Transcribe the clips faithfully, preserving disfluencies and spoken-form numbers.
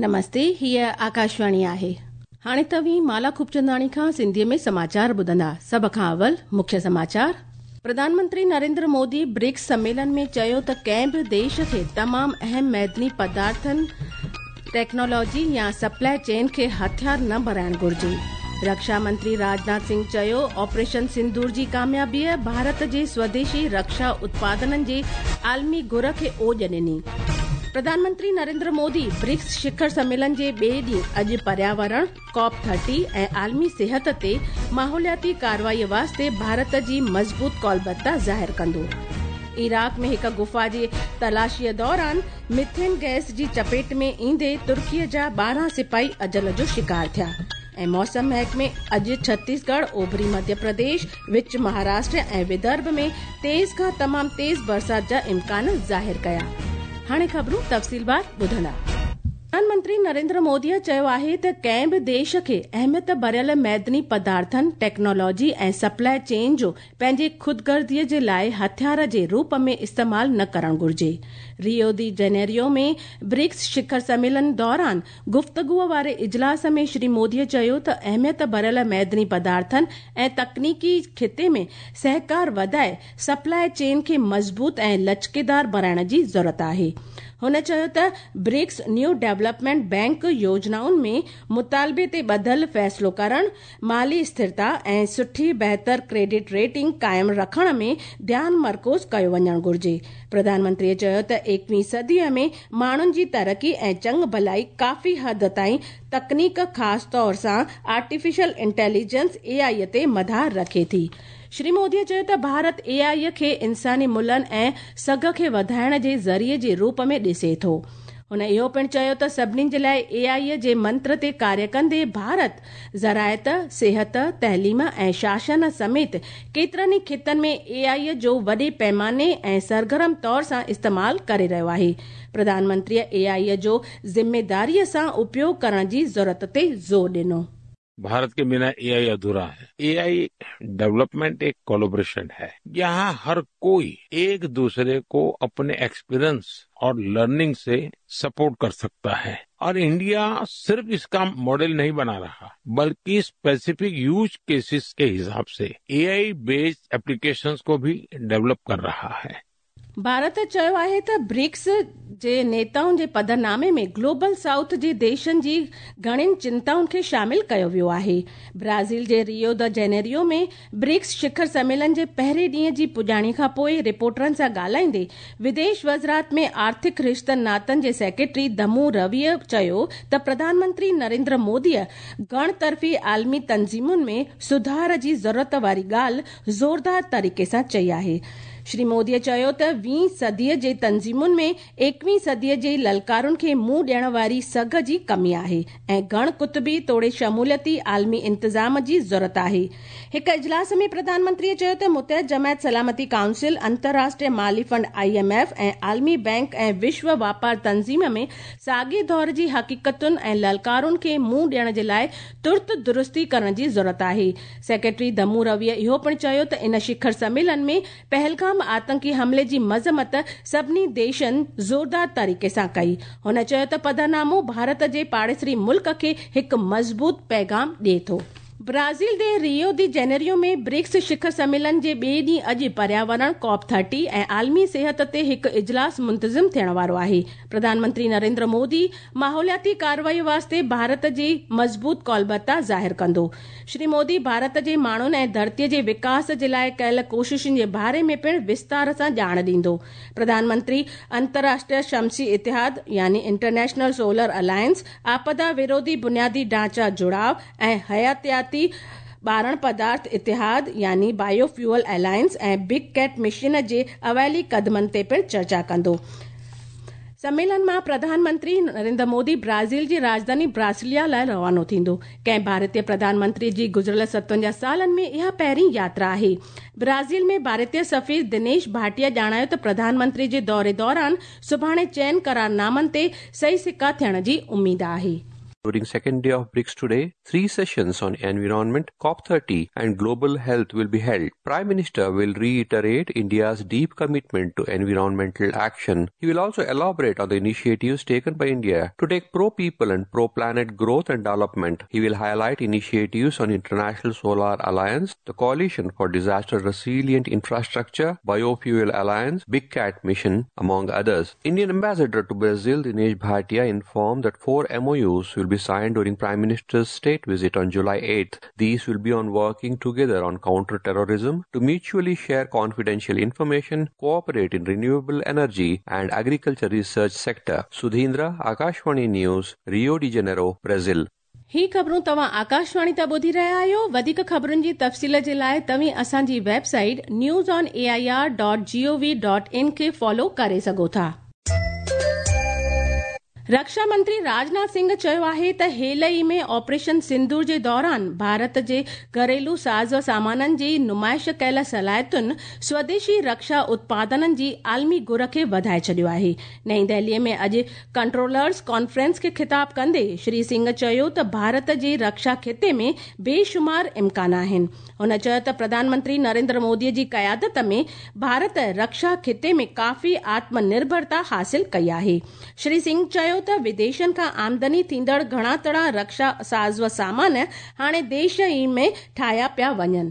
नमस्ते, हीअ आकाशवाणी आहे। हाणे तव्हीं माला खूबचंदाणी खां सिंधीअ में समाचार ॿुधंदा। सभ खां अवल मुख्य समाचार। प्रधानमंत्री नरेंद्र मोदी ब्रिक्स सम्मेलन में चयो त कंहिं बि देश खे तमाम अहम मैदनी पदार्थनि, टेक्नोलॉजी या सप्लाई चेन खे हथियार न बणाइण घुर्जे। रक्षा मंत्री राजनाथ सिंह चयो, ऑपरेशन सिंदूर जी कामयाबीअ भारत जे स्वदेशी रक्षा उत्पादननि जे आलमी घुर खे ओॼ ॾिनी। प्रधानमंत्री नरेंद्र मोदी ब्रिक्स शिखर सम्मेलन जे ॿिए ॾींहुं अॼु पर्यावरण, कॉप थर्टी ऐं आलमी सिहत ते माहौलियाती कार्रवाई वास्ते भारत जी मज़बूत कौलबद्धता ज़ाहिर कंदो। इराक में हिकु गुफा जी तलाशीअ दौरान मिथेन गैस जी चपेट में ईंदे तुर्कीअ जा ॿारहं सिपाही अजल जो शिकार थिया। ऐं मौसम महकमे अॼु छत्तीसगढ़, ओभरी मध्य प्रदेश, विच महाराष्ट्र ऐं विदर्भ में तेज़ खां तमाम तेज़ बरसात जा इम्कान ज़ाहिर कया। हाणे ख़बरूं तफ़सीलवार ॿुधंदा। प्रधानमंत्री नरेंद्र मोदीअ चयो आहे त कंहिं बि देश खे अहमियत भरियल मैदनी पदार्थनि, टेक्नोलॉजी ऐं सप्लाई चेन जो पंहिंजी ख़ुदगर्ज़ीअ जे लाइ हथियार जे रूप में इस्तेमाल न करणु घुर्जे। रियो दी जेनेरियो में ब्रिक्स शिखर सम्मेलन दौरान गुफ़्तगूअ वारे इजलास में श्री मोदीअ चयो त अहमियत भरियल मैदनी पदार्थनि ऐं तकनीकी ख़िते में सहकार वधाए सप्लाई चेन खे मज़बूत ऐं लचकेदार बणाइण जी ज़रूरत आहे। हुन चयो त ब्रिक्स न्यू डेवलपमेंट बैंक योजनाउनि में मुतालबे ते ॿधल फ़ैसिलो करण, माली स्थिरता ऐं सुठी बहितर क्रेडिट रेटिंग क़ाइमु रखण में ध्यानु मरकूज़ कयो वञणु घुर्जे। प्रधानमंत्रीअ चयो त एकवीं सदीअ में माण्हुनि जी तरक़ी ऐं चङ भलाई काफ़ी हद ताईं तकनीक, ख़ासि तौर सां आर्टिफिशियल इंटेलिजेंस ए आई ते मदार रखे थी। श्री मोदीअ चयो त भारत ए आई खे इंसानी मुल्हनि ऐं सघ खे वधाइण जे ज़रिए जे रूप में ॾिसे थो। हुन इहो पिणु चयो त सभिनी जे लाइ ए आई जे मंत्र ते कार्य कंदे भारत ज़राइत, सिहत, तइलीम ऐं शासन समेत केतिरनि ई ख़ितनि में ए आई जो वॾे पैमाने ऐं सरगर्म तौर सां इस्तेमाल करे रहियो आहे। प्रधानमंत्रीअ ए आई जो ज़िम्मेदारीअ सां उपयोग करण जी ज़रूरत ते ज़ोर ॾिनो। भारत के बिना एआई अधूरा है। एआई डेवलपमेंट एक कोलैबोरेशन है, यहाँ हर कोई एक दूसरे को अपने एक्सपीरियंस और लर्निंग से सपोर्ट कर सकता है। और इंडिया सिर्फ इसका मॉडल नहीं बना रहा, बल्कि स्पेसिफिक यूज केसेस के हिसाब से एआई बेस्ड एप्लीकेशंस को भी डेवलप कर रहा है। भारत चयो आहे त ब्रिक्स जे नेताउनि जे पधरनामे में ग्लोबल साउथ जे देशनि जी घणियुनि चिंताउनि खे शामिल कयो वियो आहे। Brazil J Rio the Janeiro में ब्रिक्स शिखर सम्मेलन जे पहिरें ॾींहं जी पुॼाणी खां पोइ रिपोर्टरनि सां ॻाल्हाईंदे विदेश वज़ारत में आर्थिक रिश्तनि नातनि जे सेक्रेटरी दमू रविअ चयो त प्रधानमंत्री नरेंद्र मोदीअ घण तरफ़ी आलमी तंज़ीमुनि में सुधार जी ज़रूरत वारी ॻाल्हि ज़ोरदार तरीक़े सां चई आहे। श्री मोदीअ चयो त वीं सदीअ जे तंज़ीमुनि में एकवीं सदीअ जे ललकारुनि खे मुंहुं ॾियण वारी सघ जी कमी आहे ऐं घण कुतुबी तोड़े शमूलियती आलमी इंतज़ाम जी ज़रूरत आहे। हिकु इजलास में प्रधानमंत्रीअ चयो त मुतहद जमायत सलामती काउंसिल, अंतर्राष्ट्रीय माली फंड I am F ऐं आलमी बैंक ऐं विश्व वापार तंज़ीम में साॻे दौर जी हक़ीक़तुनि ऐं ललकारुनि खे मुंहुं ॾियण जे लाइ तुर्त दुरुस्ती करण जी ज़रूरत आहे। सेक्रेटरी दमू रविअ इहो पिणु चयो त इन शिखर सम्मेलन में पहलगाम आतंकी हमले जी मज़म्मत सभिनी देशनि ज़ोरदार तरीक़े सां कई। हुन चयो त पधरनामो भारत जे पाड़ेसरी मुल्क खे हिकु मज़बूत पैगाम ॾिए थो। ब्राज़ील जे रियो दी जेनेरियो में ब्रिक्स शिखर सम्मेलन जे ॿिए ॾींहुं अॼु पर्यावरण, कॉप थर्टी ऐं आलमी सिहत ते हिकु इजलास मुंतज़िम थियण वारो आहे। प्रधानमंत्री नरेंद्र मोदी माहौलियाती कार्रवाई वास्ते भारत जी मज़बूत कौलबद्धता ज़ाहिर कंदो। श्री मोदी भारत जे माण्हुनि ऐं धरतीअ जे विकास जे लाइ कयल कोशिशुनि जे बारे में पिणु विस्तार सां ॼाण ॾींदो। प्रधानमंत्री अंतर्राष्ट्रीय शमसी इतिहाद यानी इंटरनेशनल सोलर अलायंस, आपदा विरोधी बुनियादी ढांचा जुड़ाव ऐं हयातियाती ॿारण पदार्थ इतिहाद यानी बायोफ्यूअल अलायंस ऐं बिग कैट मिशन जे अवैली कदमनि ते पिणु चर्चा कंदो। सम्मेलन मां प्रधानमंत्री नरेंद्र मोदी ब्राज़ील जी राजधानी ब्रासिलिया लाइ रवानो थींदो। कंहिं भारतीय प्रधानमंत्री जी गुज़िरियल सतवंजाह सालनि में इहा पहिरीं यात्रा आहे। ब्राज़ील में भारतीय सफ़ीर दिनेश भाटिया ॼाणायो त प्रधानमंत्री जे दौरे दौरान सुभाणे चइनि करारनामनि ते सही सिक्का थियण जी उम्मीद आहे। During second day of BRICS today, three sessions on environment, COP thirty and global health will be held. Prime Minister will reiterate India's deep commitment to environmental action. He will also elaborate on the initiatives taken by India to take pro-people and pro-planet growth and development. He will highlight initiatives on International Solar Alliance, the Coalition for Disaster Resilient Infrastructure, Biofuel Alliance, Big Cat Mission, among others. Indian Ambassador to Brazil, Dinesh Bhatia, informed that four M O Us will be signed during Prime Minister's state visit on July eighth. These will be on working together on counter-terrorism, to mutually share confidential information, cooperate in renewable energy and agriculture research sector. Sudhindra, Akashvani News, Rio de Janeiro, Brazil. ही ख़बरूं तव्हां आकाशवाणी तां ॿुधी रहिया आहियो। वधीक ख़बरुनि जी तफ़सील जे लाइ तव्हीं असांजी website news on A I R dot G O V dot in खे फॉलो करे सघो था। रक्षा मंत्री राजनाथ सिंह चयो आहे त हेल ई में ऑपरेशन सिंदूर जे दौरान भारत जे घरेलू साज़ सामाननि जी नुमाइश कयल सलाहियतुनि स्वदेशी रक्षा उत्पादननि जी आलमी गुर खे वधाए छॾियो आहे। नई दिल्लीअ में अॼु कंट्रोलर्स कॉन्फ्रेंस खे ख़िताब कंदे श्री सिंह चयो त भारत जे रक्षा खिते में बेशुमार इम्कान आहिनि। हुन चयो त प्रधानमंत्री नरेंद्र मोदीअ जी क़यादत में भारत रक्षा खिते में काफ़ी आत्मनिर्भरता हासिल कई आहे। श्री सिंह चयो त विदेशनि खां आमदनी थींदड़ घणा तड़ा रक्षा साज़ व सामान हाणे देश ई में ठाहिया पिया वञनि।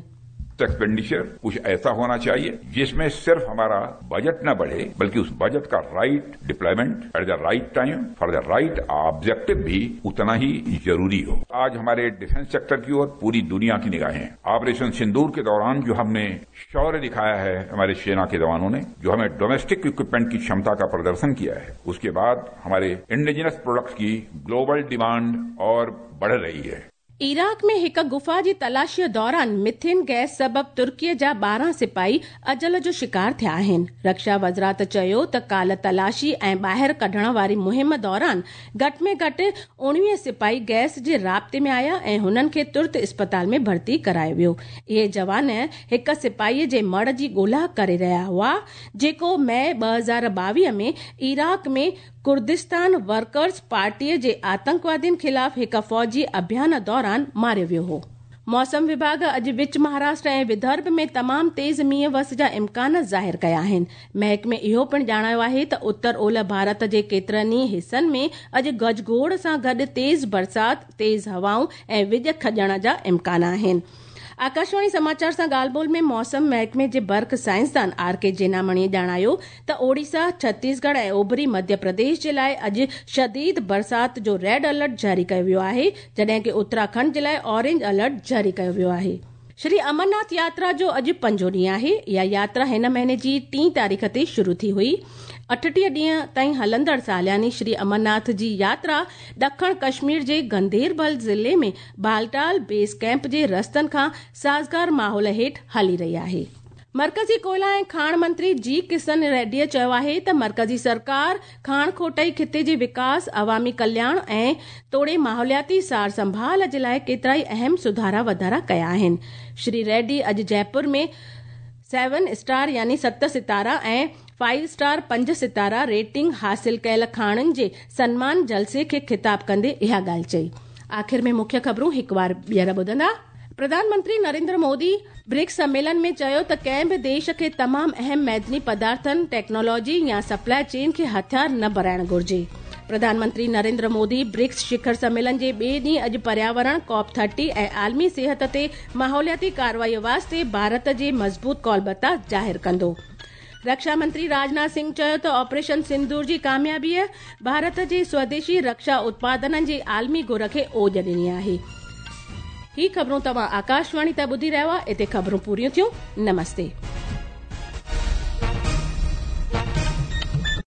एक्सपेंडिचर कुछ ऐसा होना चाहिए जिसमें सिर्फ हमारा बजट न बढ़े बल्कि उस बजट का right deployment at the right time for the right objective भी उतना ही जरूरी हो। आज हमारे डिफेंस सेक्टर की ओर पूरी दुनिया की निगाहें हैं। ऑपरेशन सिंदूर के दौरान जो हमने शौर्य दिखाया है हमारे सेना के जवानों ने, जो हमें डोमेस्टिक इक्विपमेंट की क्षमता का प्रदर्शन किया है, उसके बाद हमारे इंडिजिनस प्रोडक्ट्स की ग्लोबल डिमांड और बढ़ रही है। इराक में हिक गुफा जी तलाशीअ दौरान मिथेन गैस सबब तुर्कीअ जा ॿारहं सिपाही अजल जो शिकार थिया आहिनि। रक्षा वज़ारत चयो त काल तलाशी ऐं ॿाहिरि कढण वारी मुहिम दौरान घटि में घटि उणिवीह सिपाही गैस जे राब्ते में आया ऐं हुननि खे तुर्त अस्पताल में भर्ती करायो वियो। इहे जवान हिक सिपाहीअ जे मड़ जी ॻोल्हा करे रहिया हुआ जेको मई ॿ हज़ार ॿावीह में इराक में कुर्दिस्तान वर्कर्स पार्टीअ जे आतंकवादियुनि ख़िलाफ़ हिक फ़ौजी अभियान दौरान मारियो वियो हो। मौसम विभाग अॼु विच महाराष्ट्र ऐं विदर्भ में तमाम तेज़ मींहुं वस जा इम्कान ज़ाहिर कया आहिनि। महकमे इहो पिणु ॼाणायो आहे त उत्तर ओलह भारत जे केतिरनि ई हिसनि में अॼु गजगोड़ सां गॾु तेज़ बरसाति, तेज़ हवाऊं ऐं विॼ खॼण जा इम्कान आहिनि। आकाशवाणी समाचार सां ॻाल्हि ॿोल में मौसम महकमे जे बर्फ़ साइंसदान are के जेनामणी ॼाणायो त ओडिशा, छत्तीसगढ़ ऐं ओभरी मध्य प्रदेश जे लाइ अॼु शदीद बरसात जो रेड अलर्ट जारी कयो वियो आहे, जॾहिं की उत्तराखंड जे लाइ ऑरेंज अलर्ट जारी कयो वियो आहे। श्री अमरनाथ यात्रा जो अॼु पंजो ॾींहुं आहे। इहा यात्रा हिन महीने जी टीं तारीख़ ते शुरू थी हुई। अठटीह ॾींहं ताईं हलंदड़ सालियानी श्री अमरनाथ जी यात्रा ॾखण कश्मीर जे गंदेरबल ज़िले में बालटाल बेस कैंप जे रस्तनि खां साज़गार माहौल हेठि हली रही आहे। मर्कज़ी कोयला ऐं खाण मंत्री जी किशन रेड्डीअ चयो आहे त मर्कज़ी सरकार खाण खोटाई खिते जे विकास, अवामी कल्याण ऐं तोड़े माहौलियाती सार संभाल जे लाइ केतिरा ई अहम सुधारा वाधारा कया आहिनि। श्री रेड्डी अॼु जयपुर में सेवन स्टार यानी सत सितारा ऐं फाइव स्टार पंज सितारा रेटिंग हासिल कयल खाणनि जे सन्मान जलसे खे ख़िताब कंदे इहा ॻाल्हि चई। आख़िर में मुख्य ख़बरूं हिकु बार ॿीहर ॿुधंदा। प्रधानमंत्री नरेंद्र मोदी ब्रिक्स सम्मेलन में चयो त कंहिं बि देश खे तमाम अहम मैदनी पदार्थनि, टेक्नोलॉजी या सप्लाई चेन खे हथियार न बणाइण घुर्जे। प्रधानमंत्री नरेंद्र मोदी ब्रिक्स शिखर सम्मेलन जे ॿिए ॾींहुं अॼु पर्यावरण, कॉप थर्टी ऐं आलमी सिहत ते माहौलियाती कार्रवाई वास्ते भारत जे मज़बूत कौलबता ज़ाहिर कंदो। रक्षा मंत्री राजनाथ सिंह चयो त ऑपरेशन सिंदूर जी कामयाबीअ भारत जे स्वदेशी रक्षा उत्पादननि जी आलमी गुर खे ओज ॾिनी आहे। ही ख़बरूं तव्हां आकाशवाणी तां ॿुधी रहिया हुआ। हिते ख़बरूं पूरियूं थियूं। नमस्ते।